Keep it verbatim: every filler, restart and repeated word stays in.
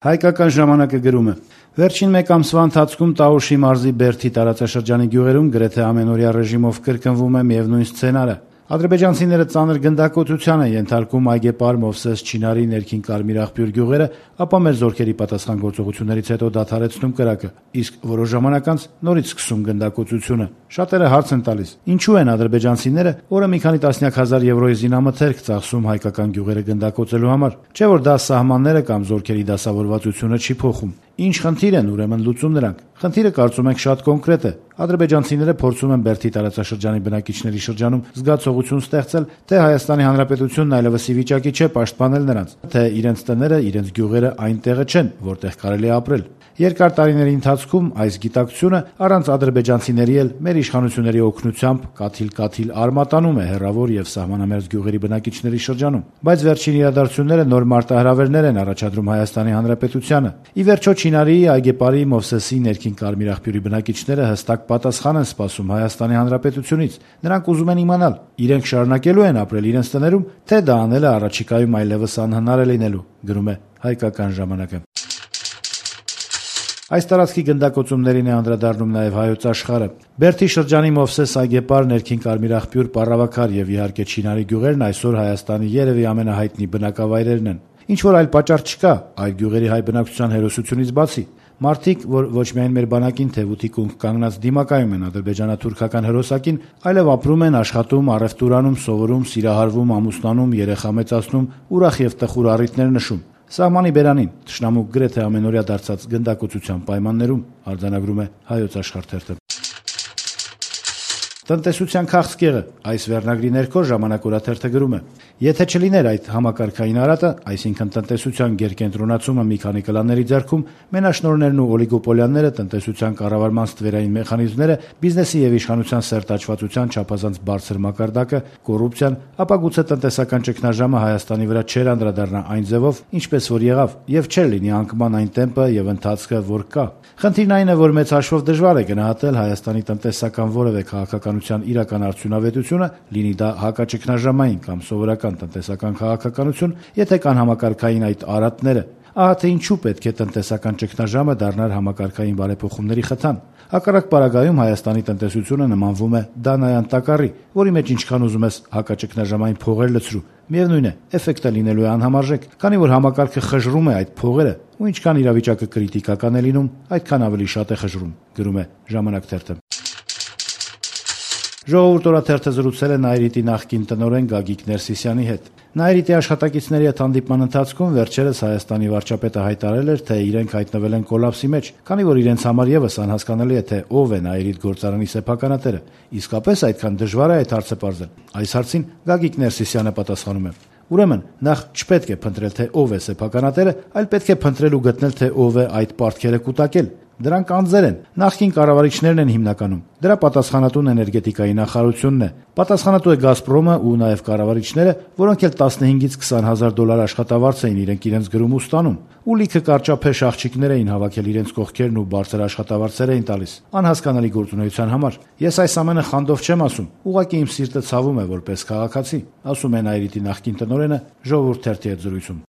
Հայկական ժամանակը գրում է. Վերջին մեկ ամսվա ընթացքում Տաուշի մարզի Բերդի տարածաշրջանի գյուղերում գրեթե ամենօրյա ռեժիմով կրկնվում է միևնույն սցենարը։ Ադրբեջանցիները ծանր գնդակոծության են ենթարկում Այգեպար, Մովսես, Չինարի, Ներքին Կարմիր աղբյուր գյուղերը, ապա մեր զորքերի պատասխան գործողություններից հետո դադարեցնում կրակը, իսկ որոշ ժամանակ անց նորից սկսում գնդակոծությունը։ Շատերը հարց են տալիս. ինչու են ադրբեջանցիները օրը մի քանի տասնյակ հազար եվրոյի զինամթերք ծախսում հայկական գյուղերը գնդակոծելու համար, չէ որ դա սահմանները կամ զորքերի դասավորվածությունը չի փոխում։ Ինչ խնդիր են ուրեմն լուծում նրանք։ Խնդիրը կարծում ենք շատ կոնկրետ է։ Ադրբեջանցիները փորձում են Բերդի տարածաշրջանի բնակիչների շրջանում զգացողություն ստեղծել, թե Հայաստանի Հանրապետությունն այլևս ի վիճակի չէ պաշտպանել նրանց, թե իրենց տները, իրենց գյուղերը այն տեղը չեն, որտեղ կարելի է ապրել։ Երկար տարիների ընթացքում այս գիտակցությունը առանց ադրբեջանցիների էլ մեր իշխանությունների օգնությամբ կաթիլ-կաթիլ արմատանում է հեռավոր եւ սահմանամերձ գյուղերի բնակիչների շրջանում։ Բայց վերջին իրադարձությունները նոր մարտահրավերներ են առաջադրում Հայաստանի Հանրապետությանը։ Ի վերջո Չինարի, Այգեպարի, Մովսեսի, Ներքին Կարմիր աղբյուրի բնակիչները հստակ պատասխան են սպասում Հայաստանի Հանրապետությունից։ Նրանք ուզում են իմանալ, իրենք շարունակելու են ապրել իրենց տներում, թե դա անելը առաջիկայում այլևս անհնար է լինելու, գրում է Հայկական ժամանակը։ Այս տարածքի գնդակոծումներին է անդրադառնում նաև Հայոց Աշխարհը։ Բերդի շրջանի Մովսես, Այգեպար, Ներքին Կարմիր աղբյուր, Պառավաքար եւ իհարկե Չինարի գյուղերն այսօր Հայաստանի երևի ամենահայտնի բնակավայրերն են։ Ինչ որ այլ պատճառ չկա այդ գյուղերի հայ բնակչության հերոսությունից բացի։ Մարդիկ, որ ոչ միայն մեր բանակին թեւուտի կունք կանգնած դիմակայում են ադրբեջանա-թուրքական հերոսակին, այլև ապրում են, աշխատում, առևտուր անում, սովորում, սիրահարվում, ամուսնանում, երեխա մեծացնում, ուրախ եւ տխուր առիթներ նշում։ Սահմանի բերանին թշնամու գրեթե ամենօրյա դարձած գնդակոծության պայմաններում արձանագրում է Հայոց Աշխարհ թերթը։ Տնտեսության քաղցկեղը այս վերնագրի ներքո Ժամանակ օրաթերթը գրում է. եթե չլիներ այդ համակարգային արատը, այսինքն տնտեսության գերկենտրոնացումը մի քանի կլանների ձեռքում, մենաշնորհներն ու օլիգոպոլիաները, տնտեսության կառավարման ստվերային մեխանիզմները, բիզնեսի եւ իշխանության սերտաճվածության չափազանց բարձր մակարդակը, կոռուպցիան, ապա գուցե տնտեսական ճգնաժամը Հայաստանի վրա չէր անդրադառնա այն ձևով, ինչպես որ եղավ, եւ չէր լինի անկման այն տեմպը եւ ընթացքը, որ կա։ Խնդիրն այն է, որ մեծ հաշվով դժվար է գնահատել Հայաստանի տնտեսական որևէ քաղաքականության իրական արդյունավետությունը, լինի դա հակաճգնաժամային կամ սովորական տնտեսական քաղաքականություն, եթե կան համակարգային այդ արատները։ Ահա թե ինչու պետք է տնտեսական ճգնաժամը դառնար համակարգային բարեփոխումների խթան։ Հակառակ պարագայում Հայաստանի տնտեսությունը նմանվում է Դանայան տակառի, որի մեջ ինչքան ուզում ես հակաճգնաժամային փողեր լցրու, միևնույն է, էֆեկտը լինելու է անհամարժեք, քանի որ համակարգը խժռում է այդ փողերը, ու ինչքան իրավիճակը կրիտիկական է լինում, այդքան ավելի շատ է խժռում, գրում է Ժամանակ թերթը։ Ժողովուրդ օրաթերթը զրուցել է Նայիրիտի նախկին տնօրեն Գագիկ Ներսիսյանի հետ։ Նայիրիտի աշխատակիցների հետ հանդիպման ընթացքում վերջերս Հայաստանի վարչապետը հայտարարել էր, թե իրենք հայտնվել են կոլապսի մեջ, քանի որ իրենց համար եւս անհասկանալի է, թե ով է Նայիրիտ գործարանի սեփականատերը։ Իսկապես այդքան դժվար է այդ հարցը պարզել։ Այս հարցին Գագիկ Ներսիսյանը պատասխանում է. Ուրեմն, նախ չպետք է փնտրել, թե ով է սեփականատերը, այլ պետք է փնտրել ու գտնել, թե ով է այդ պարտքերը կուտակել։ Դրանք անձեր են, նախկին կառավարիչներն են հիմնականում։ Դրա պատասխանատուն էներգետիկայի նախարարությունն է։ Պատասխանատու է Գազպրոմը ու նաև կառավարիչները, որոնք էլ տասնհինգից քսան հազար դոլար աշխատավարձ էին իրենք իրենց գրում ու ստանում։ Ու լիքը կարճափեշ աղջիկներ էին հավաքել իրենց կողքերն ու բարձր աշխատավարձեր էին տալիս։ Անհասկանալի գործունեության համար։ Ես այս ամենը խանդով չեմ ասում, ուղղակի իմ սիրտը ցավում է որպես քաղաքացի, ասում է Նայիրիտի նախկին տնօրենը Ժողովուրդ թերթի հետ զրույցում։